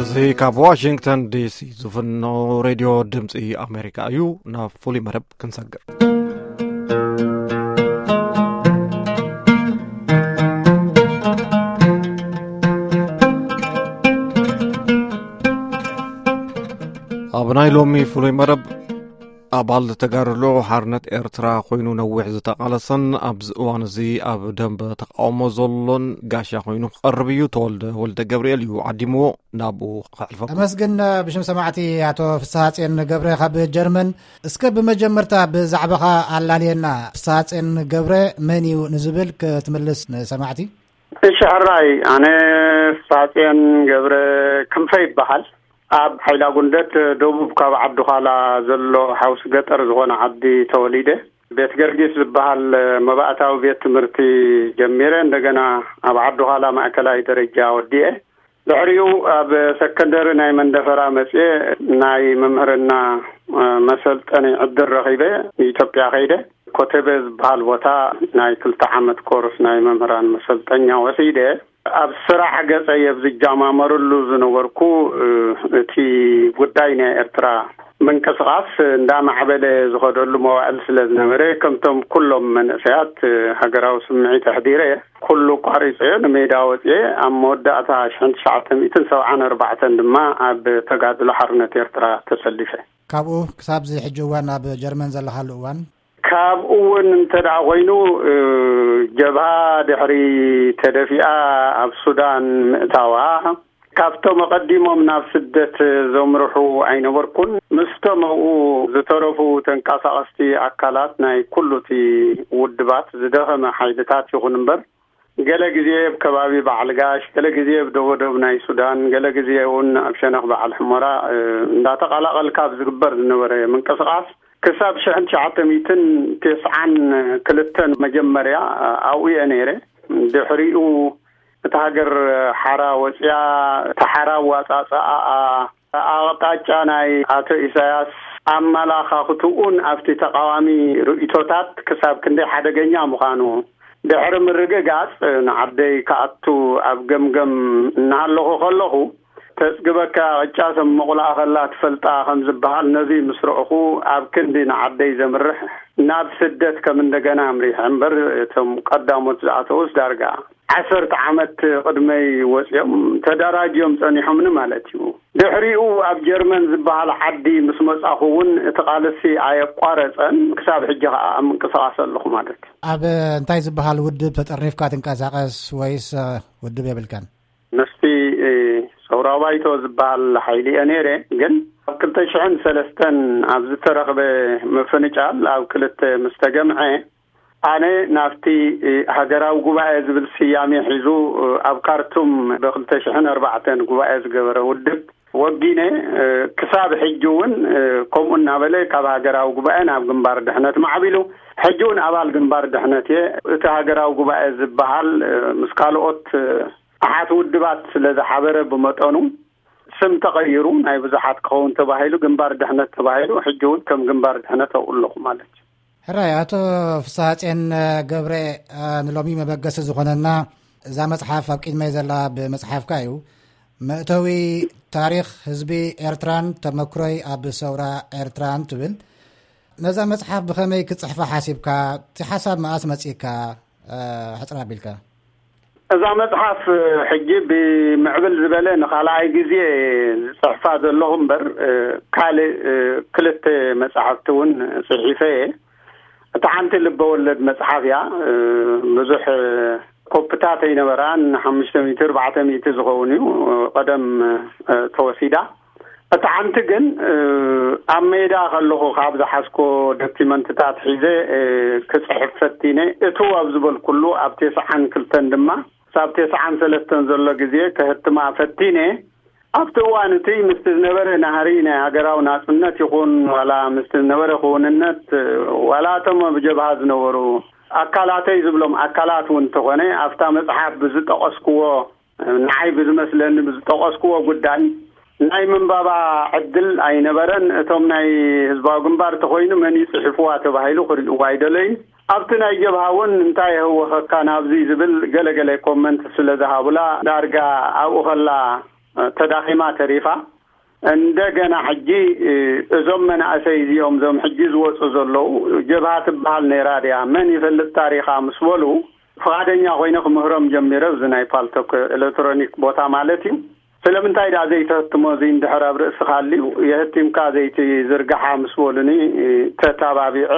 እዚ ካብ ዋሽንግተን ዲሲ ዝፍኖ ሬድዮ ድምፂ ኣሜሪካ እዩ። ናብ ፍሉይ መደብ ክንሰግር። ኣብ ናይ ሎሚ ፍሉይ መደብ፣ ኣባል ተጋድሎ ሓርነት ኤርትራ ኮይኑ ነዊሕ ዝተቓለሰን ኣብዚ እዋን እዚ ኣብ ደንበ ተቃውሞ ዘሎን ጋሻ ኮይኑ ክቐርብ እዩ። ተወልደ ወልደ ገብርኤል እዩ ዓዲምዎ። ናብኡ ከሕልፈኩም። ኣመስግን። ብሽም ሰማዕቲ፣ ኣቶ ፍስሃጼን ገብረ ካብ ጀርመን። እስከ ብመጀመርታ ብዛዕባኻ ኣላልየና። ፍስሃጼን ገብረ መን እዩ ንዝብል ክትምልስ ንሰማዕቲ። እሺ፣ ሕራይ፣ ኣነ ፍስሃጼን ገብረ ክንፈ ይበሃል። ኣብ ሓይላ ጉንደት ደቡብ ካብ ዓዲ ዃላ ዘሎ ሓውሲ ገጠር ዝኾነ ዓዲ ተወሊደ። ቤት ገርጊስ ዝበሃል መባእታዊ ቤት ትምህርቲ ጀሚረ፣ እንደገና ኣብ ዓዲ ዃላ ማእከላይ ደረጃ ወዲኤ። ድሕሪኡ ኣብ ሰከንደሪ ናይ መንደፈራ መጽኤ ናይ መምህርና መሰልጠኒ ዕድል ረኺበ፣ ንኢትዮጵያ ከይደ። ኮተቤ ዝበሃል ቦታ ናይ ክልተ ዓመት ኮርስ ናይ መምህራን መሰልጠኛ ወሲደ። ኣብ ስራሕ ገጸይ ኣብ ዝጃማመርሉ ዝነበርኩ፣ እ፣ እቲ ጉዳይ ናይ ኤርትራ ምንቅስቓስ እንዳማዕበለ ዝኸደሉ መዋእል ስለ ዝነበረ፣ ከምቶም ኩሎም መንእሰያት፣ እ፣ ሃገራዊ ስምዒት ኣሕዲረ ኩሉ ቋሪጸዮ ንሜዳ ወጽኤ። ኣብ መወዳእታ ሽሕን ትሽዓተ ሚእትን ሰብዓን ኣርባዕተን ድማ ኣብ ተጋድሎ ሓርነት ኤርትራ ተሰሊፈ። ካብኡ ክሳብ እዚ ሕጂ እዋን ኣብ ጀርመን ዘለኻሉ እዋን? ካብኡ እውን እንተ ደኣ ኮይኑ፣ እ፣ ጀብሃ ድሕሪ ተደፊኣ ኣብ ሱዳን ምእታዋ፣ ካብቶም ኣቐዲሞም ናብ ስደት ዘምርሑ ኣይነበርኩን። ምስቶም ኣብኡ ዝተረፉ ተንቀሳቐስቲ ኣካላት ናይ ኩሉ እቲ ውድባት ዝደኸመ ሓይልታት ይኹን እምበር፣ ገለ ግዜ ኣብ ከባቢ በዓል ጋሽ፣ ገለ ግዜ ኣብ ደቡብ ናይ ሱዳን፣ ገለ ግዜ እውን ኣብ ሸነኽ በዓል ሕሞራ፣ እ፣ እንዳተቐላቐልካ ኣብ ዝግበር ዝነበረ ምንቅስቓስ፣ ክሳብ ሽሕን ትሽዓተ ሚእትን ተስዓን ክልተን መጀመርያ ኣብኡ እየ ነይረ። ድሕሪኡ እታ ሃገር ሓራ ወፅያ፣ እቲ ሓራ ኣዋፃፅኣኣ፣ ኣቕጣጫ ናይ ኣቶ ኢሳያስ ኣመላኻኽትኡን ኣብቲ ተቃዋሚ ርእይቶታት ክሳብ ክንደይ ሓደገኛ ምዃኑ ድሕሪ ምርግጋፅ፣ ንዓደይ ክኣቱ ኣብ ገምገም እናሃለኹ ከለኹ፣ ተጽግበካ ቅጫ ሰብ መቑላኣ ከላ ትፈልጣ ከም ዝበሃል፣ ነዚ ምስ ረእኹ፣ ኣብ ክንዲ ንዓደይ ዘምርሕ ናብ ስደት ከም እንደገና ኣምሪሐ እምበር፣ እቶም ቀዳሞት ዝኣተዉስ ዳርጋ ዓሰርተ ዓመት ቅድመይ ወጺኦም ተደራጅዮም ጸኒሖምኒ ማለት እዩ። ድሕሪኡ ኣብ ጀርመን ዝበሃል ዓዲ ምስ መጻኹ እውን እቲ ቃልሲ ኣየቋረጸን፣ ክሳብ ሕጂ ከኣ ኣብ ምንቅስቓስ ኣለኹ ማለት እዩ። ኣብ እንታይ ዝበሃል ውድብ ተጠርኒፍካ ትንቀሳቐስ ወይስ፣ እ፣ ውድብ የብልካን? ምስቲ፣ እ፣ ሰውራዊ ባይቶ ዝበሃል ሓይሊ እየ ነይረ፣ ግን ኣብ ክልተ ሽሕን ሰለስተን ኣብ ዝተረኽበ ምፍንጫል ኣብ ክልተ ምስ ተገምዐ፣ ኣነ ናብቲ፣ እ፣ ሃገራዊ ጉባኤ ዝብል ስያሜ ሒዙ፣ እ፣ ኣብ ካርቱም ብክልተ ሽሕን ኣርባዕተን ጉባኤ ዝገበረ ውድብ ወጊነ፣ እ፣ ክሳብ ሕጂ እውን፣ እ፣ ከምኡ እናበለ ካብ ሃገራዊ ጉባኤ ናብ ግንባር ድሕነት ማዕቢሉ፣ ሕጂ እውን ኣባል ግንባር ድሕነት እየ። እቲ ሃገራዊ ጉባኤ ዝበሃል፣ እ፣ ምስ ካልኦት፣ እ፣ ኣሓት ውድባት ስለ ዝሓበረ ብመጠኑ፣ ስም ተቐይሩ፣ ናይ ብዙሓት ክኸውን ተባሂሉ፣ ግንባር ድሕነት ተባሂሉ፣ ሕጂ እውን ከም ግንባር ድሕነት ኣብኡ ኣለኹ ማለት እዩ። ሕራይ፣ ኣቶ ፍስሃጼን ገብረ፣ እ፣ ንሎሚ መበገሲ ዝኾነና፣ እዛ መጽሓፍ ኣብ ቅድመይ ዘላ ብመጽሓፍካ እዩ። መእተዊ ታሪኽ ህዝቢ ኤርትራን ተመክሮይ ኣብ ሰውራ ኤርትራን ትብል። ነዛ መጽሓፍ ብኸመይ ክትጽሕፋ ሓሲብካ? እቲ ሓሳብ መኣስ መጺእካ? እ፣ ሕጽር ኣቢልካ። እዛ መጽሓፍ ሕጂ ብምዕብል ዝበለ ንኻልኣይ ግዜ ዝጽሕፋ ዘለኹ እምበር፣ እ፣ ካልእ፣ እ፣ ክልተ መጻሕፍቲ እውን ጽሒፈ እየ። እታ ሓንቲ ልበ ወለድ መጽሓፍ እያ። እ፣ ብዙሕ፣ እ፣ ኮፕታት ኣይነበራን፣ ሓሙሽተ ሚእቲ፣ ኣርባዕተ ሚእቲ ዝኸውን እዩ፣ እ፣ ቀደም፣ እ፣ ተወሲዳ። እታ ሓንቲ ግን፣ እ፣ ኣብ ሜዳ ከለኹ ካብ ዝሓዝኮ ዶኪመንትታት ሒዘ፣ እ፣ ክጽሕፍ ፈቲነ። እትው ኣብ ዝበልኩሉ፣ ኣብ ተስዓን ክልተን ድማ፣ ክሳብ ተስዓን ሰለስተን ዘሎ ግዜ ከህትማ ፈቲነ። ኣብቲ እዋን እቲ ምስቲ ዝነበረ ናህሪ ናይ ሃገራዊ ናጽነት ይኹን፣ ዋላ ምስቲ ዝነበረ ክውንነት፣ ዋላ እቶም ኣብ ጀብሃ ዝነበሩ ኣካላተይ ዝብሎም ኣካላት እውን እንተኾነ፣ ኣብታ መጽሓፍ ብዝጠቐስክዎ፣ ንዓይ ብዝመስለኒ ብዝጠቐስክዎ ጉዳይ ናይ ምንባባ ዕድል ኣይነበረን። እቶም ናይ ህዝባዊ ግንባር እንተኾይኑ መን እዩ ጽሒፍዋ ተባሂሉ ክርእይዋ ኣይደለዩን። ኣብቲ ናይ ጀብሃ እውን እንታይ የህወኸካ ናብዚ ዝብል ገለ ገለ ኮመንት ስለ ዝሃቡላ፣ ዳርጋ ኣብኡ ከላ ተዳኺማ ተሪፋ። እንደገና ሕጂ እዞም መናእሰይ እዚኦም፣ እዞም ሕጂ ዝወፁ ዘለዉ፣ ጀብሃ ትበሃል ነይራ ድያ፣ መን ይፈልጥ ታሪኻ ምስ በሉ፣ ፍቓደኛ ኮይነ ክምህሮም ጀሚረ፣ ኣብዚ ናይ ፓልቶክ ኤሌክትሮኒክ ቦታ ማለት እዩ። ስለምንታይ ደኣ ዘይተህትሞ፣ እዚ እንድሕር ኣብ ርእስኻ ኣልዩ፣ የህቲምካ ዘይትዝርግሓ ምስ በሉኒ፣ ተታባቢዐ፣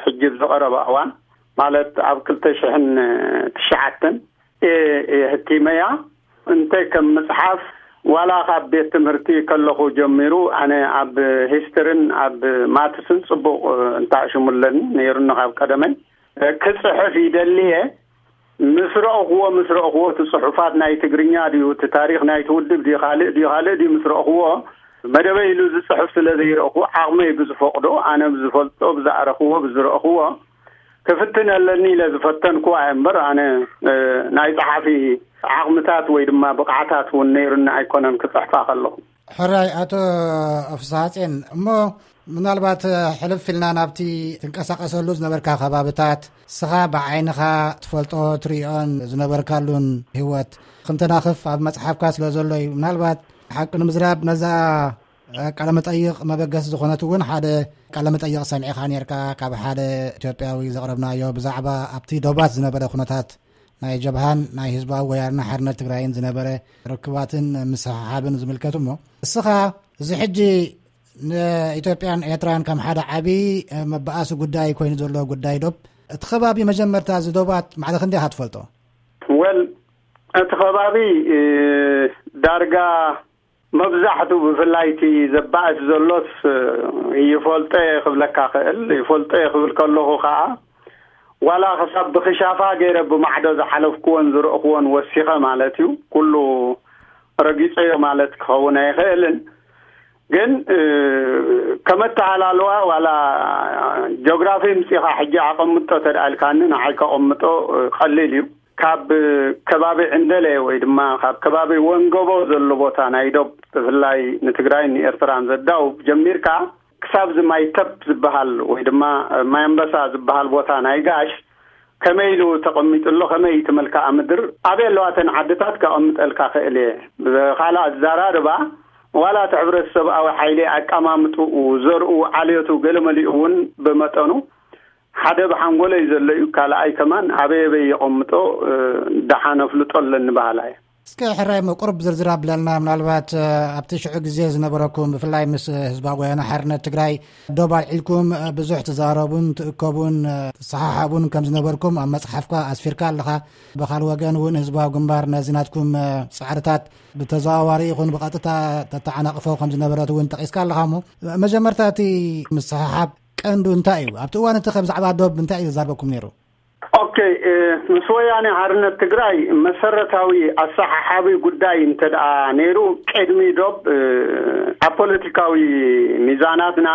ሕጂ ብዝቐረበ እዋን፣ ማለት ኣብ ክልተ ሽሕን ትሽዓተን፣ እየ፣ እየ ህቲመያ። እንተ ከም መጽሓፍ፣ ዋላ ካብ ቤት ትምህርቲ ከለኹ ጀሚሩ፣ ኣነ ኣብ ሂስትርን ኣብ ማትስን ጽቡቕ፣ እ፣ እንታሽሙ ኣለኒ ነይሩኒ ካብ ቀደመይ። እ፣ ክጽሕፍ ይደልየ። ምስ ረእኽዎ፣ ምስ ረእኽዎ፣ እቲ ጽሑፋት ናይ ትግርኛ ድዩ፣ እቲ ታሪኽ ናይቲ ውድብ ድዩ፣ ካልእ ድዩ፣ ካልእ ድዩ፣ ምስ ረእኽዎ፣ መደበይ ኢሉ ዝጽሕፍ ስለ ዘይረእኹ፣ ዓቕመይ ብዝፈቕዶ፣ ኣነ ብዝፈልጦ፣ ብዝኣረኽዎ፣ ብዝረእኽዎ፣ ክፍትን ኣለኒ ኢለ ዝፈተንኩዋ እየ እምበር፣ ኣነ፣ እ፣ ናይ ጸሓፊ ዓቕምታት ወይ ድማ ብቕዓታት እውን ነይሩኒ ኣይኮነን ክጽሕፋ ከለኹ። ሕራይ ኣቶ ፍስሃጼን፣ እሞ ምናልባት ሕልፍ ኢልና ናብቲ ትንቀሳቐሰሉ ዝነበርካ ከባብታት፣ ስኻ ብዓይንኻ ትፈልጦ ትርእዮን ዝነበርካሉን ህይወት ክንተናኽፍ ኣብ መጽሓፍካ ስለ ዘሎ እዩ። ምናልባት ሓቂ ንምዝራብ ነዛ ቃለ መጠይቕ መበገሲ ዝኾነት እውን ሓደ ቃለ መጠይቕ ሰሚዕኻ ነርካ፣ ካብ ሓደ ኢትዮጵያዊ ዘቕረብናዮ ብዛዕባ ኣብቲ ዶባት ዝነበረ ኩነታት ናይ ጀብሃን ናይ ህዝባዊ ወያነ ሓርነት ትግራይን ዝነበረ ርክባትን ምስሕሓብን ዝምልከት እሞ፣ እስኻ እዚ ሕጂ ንኢትዮጵያን ኤርትራን ከም ሓደ ዓቢ መበኣሲ ጉዳይ ኮይኑ ዘሎ ጉዳይ ዶብ፣ እቲ ከባቢ መጀመርታ እዚ ዶባት ማዕረ ክንደይ ኢኻ ትፈልጦ? ወል፣ እቲ ከባቢ፣ እ፣ ዳርጋ መብዛሕቱ ብፍላይ እቲ ዘባእስ ዘሎስ፣ እ፣ ይፈልጦ እየ ክብለካ ክእል። ይፈልጦ እየ ክብል ከለኹ ከኣ፣ ዋላ ክሳብ ብኽሻፋ ገይረ ብማዕዶ ዝሓለፍኩዎን ዝረእኩዎን ወሲኸ ማለት እዩ። ኩሉ ረጊጸዮ ማለት ክኸውን ኣይኽእልን። ግን፣ እ፣ ከመተኣላልዋ ዋላ ጂኦግራፊ ምጺኻ ሕጂ ኣቐምጦ ተደኣ ኢልካኒ፣ ንዓይ ከቐምጦ፣ እ፣ ቀሊል እዩ። ካብ ከባቢ ዕንደለ ወይ ድማ ካብ ከባቢ ወንገቦ ዘሎ ቦታ ናይ ዶብ፣ ብፍላይ ንትግራይን ንኤርትራን ዘዳውብ ጀሚርካ፣ ክሳብ እዚ ማይ ተብ ዝበሃል ወይ ድማ ማይ ኣንበሳ ዝበሃል ቦታ ናይ ጋሽ፣ ከመይ ኢሉ ተቐሚጡ ኣሎ፣ ከመይ እቲ መልክዓ ምድር፣ ኣበይ ኣለዋ እተን ዓድታት ከቐምጠልካ ክእል እየ። ብኻልእ ኣዘራርባ፣ ዋላ እቲ ሕብረተሰብኣዊ ሓይሊ ኣቀማምጥኡ፣ ዘርኡ፣ ዓልዮቱ፣ ገለመሊኡ እውን ብመጠኑ ሓደ ብሓንጎለይ ዘሎ እዩ። ካልኣይ ከማን ኣበይ ኣበይ የቐምጦ፣ እ፣ ደሓን ኣፍልጦ ኣለኒ በሃላይ። እስከ ሕራይ እሞ ቁሩብ ዝርዝር ኣብለና። ምናልባት፣ እ፣ ኣብቲ ሽዑ ግዜ ዝነበረኩም፣ ብፍላይ ምስ ህዝባዊ ወያነ ሓርነት ትግራይ ዶብ ኣልዒልኩም፣ እ፣ ብዙሕ ትዛረቡን ትእከቡን፣ እ፣ ትሰሓሓቡን ከም ዝነበርኩም ኣብ መጽሓፍካ ኣስፊርካ ኣለኻ። ብኻልእ ወገን እውን ህዝባዊ ግንባር ነዚ ናትኩም፣ እ፣ ጻዕርታት ብተዘዋዋሪ ይኹን ብቐጥታ ተተዓናቕፎ ከም ዝነበረት እውን ጠቒስካ ኣለኻ። እሞ መጀመርታ እቲ ምስሕሓብ ቀንዱ እንታይ እዩ? ኣብቲ እዋን እቲ ከ ብዛዕባ ዶብ እንታይ እዩ ዘዛርበኩም ነይሩ? ኦኬ፣ እ፣ ምስ ወያኔ ሓርነት ትግራይ መሰረታዊ ኣሰሓሓቢ ጉዳይ እንተ ደኣ ነይሩ፣ ቅድሚ ዶብ፣ እ፣ ኣብ ፖለቲካዊ ሚዛናትና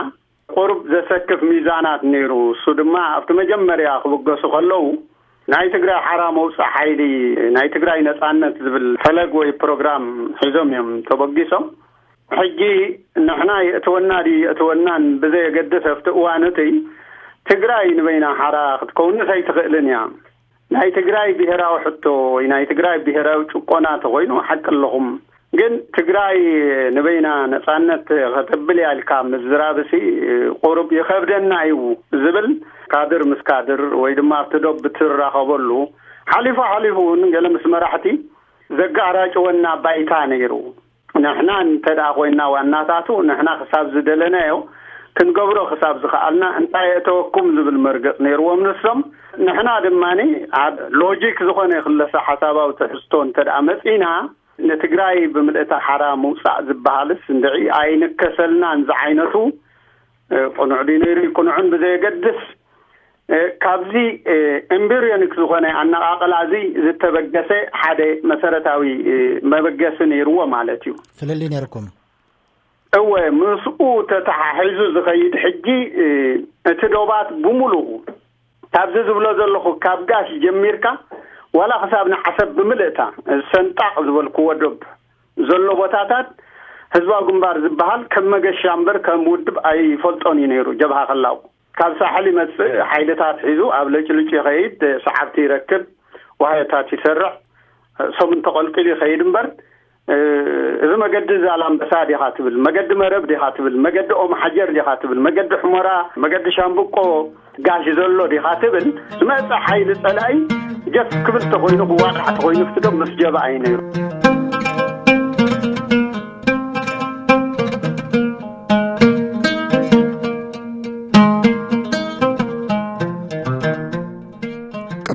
ቁሩብ ዘሰክፍ ሚዛናት ነይሩ። እሱ ድማ ኣብቲ መጀመርያ ክብገሱ ከለዉ ናይ ትግራይ ሓራ መውፅእ ሓይሊ፣ ናይ ትግራይ ነፃነት ዝብል ፈለግ ወይ ፕሮግራም ሒዞም እዮም ተበጊሶም። ሕጂ ንሕና የእትወና ድዩ የእትወናን ብዘየገድስ ኣብቲ እዋን እቲ ትግራይ ንበይና ሓራ ክትከውንስ ኣይትኽእልን እያ። ናይ ትግራይ ብሄራዊ ሕቶ ወይ ናይ ትግራይ ብሄራዊ ጭቆና ተኾይኑ ሓቂ ኣለኹም። ግን ትግራይ ንበይና ነፃነት ከተብል እያ ኢልካ ምዝራብሲ ቁሩብ ይኸብደና እዩ ዝብል ካድር ምስ ካድር ወይ ድማ ኣብቲ ዶብ ብትራኸበሉ ሓሊፉ ሓሊፉ እውን ገለ ምስ መራሕቲ ዘጋራጭወና ባይታ ነይሩ። ንሕና እንተ ደኣ ኮይንና ዋናታቱ፣ ንሕና ክሳብ ዝደለናዮ ክንገብሮ ክሳብ ዝኸኣልና እንታይ የእተወኩም ዝብል መርገጽ ነይርዎም ንሶም። ንሕና ድማኒ ኣብ ሎጂክ ዝኾነ ክለሰ ሓሳባዊ ትሕዝቶ እንተ ደኣ መጺና፣ ንትግራይ ብምልእታ ሓራ ምውጻእ ዝበሃልስ እንድዒ ኣይንከሰልናን ዝዓይነቱ፣ እ፣ ቅኑዕ ድዩ ነይሩ ይቅኑዕን ብዘየገድስ፣ እ፣ ካብዚ፣ እ፣ ኤምብሪዮኒክ ዝኾነ ኣነቓቕላ እዚ ዝተበገሰ ሓደ መሰረታዊ፣ እ፣ መበገሲ ነይርዎ ማለት እዩ። ፍልልይ ነይርኩም? እወ፣ ምስኡ ተተሓሒዙ ዝኸይድ ሕጂ፣ እ፣ እቲ ዶባት ብምሉኡ ካብዚ ዝብሎ ዘለኹ ካብ ጋሽ ጀሚርካ ዋላ ክሳብ ንዓሰብ ብምልእታ፣ እ፣ ሰንጣቕ ዝበልክዎ ዶብ ዘሎ ቦታታት ህዝባዊ ግንባር ዝበሃል ከም መገሻ እምበር ከም ውድብ ኣይፈልጦን እዩ ነይሩ። ጀብሃ ከላው ካብ ሳሕል ይመጽእ፣ ሓይልታት ሒዙ ኣብ ለጭልጭ ይኸይድ፣ ሰዓብቲ ይረክብ፣ ዋህዮታት ይሰርዕ፣ ሰሙን ተቐልቂሉ ይኸይድ እምበር፣ እዚ መገዲ ዛላምበሳ ዲኻ ትብል፣ መገዲ መረብ ዲኻ ትብል፣ መገዲ ኦም ሓጀር ዲኻ ትብል፣ መገዲ ሕሞራ፣ መገዲ ሻምብቆ ጋሽ ዘሎ ዲኻ ትብል፣ ዝመጸ ሓይሊ ጸላኢ ጀፍ ክብል ተኾይኑ፣ ክዋዳዕ ተኾይኑ፣ ክትዶ ምስ ጀባ እዩ ነይሩ።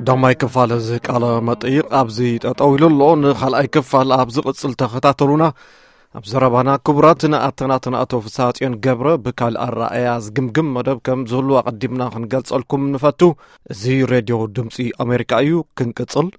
ቀዳማይ ክፋል እዚ ቃለ መጠይቕ ኣብዚ ጠጠው ኢሉ ኣሎ። ንኻልኣይ ክፋል ኣብ ዝቕጽል ተኸታተሉና። ኣብ ዘረባና ክቡራት ንኣተናትን ኣቶ ፍስሃጽዮን ገብረ ብካል ኣረኣያ ዝግምግም መደብ ከም ዝህሉ ኣቐዲምና ክንገልጸልኩም ንፈቱ። እዚ ሬድዮ ድምፂ ኣሜሪካ እዩ። ክንቅጽል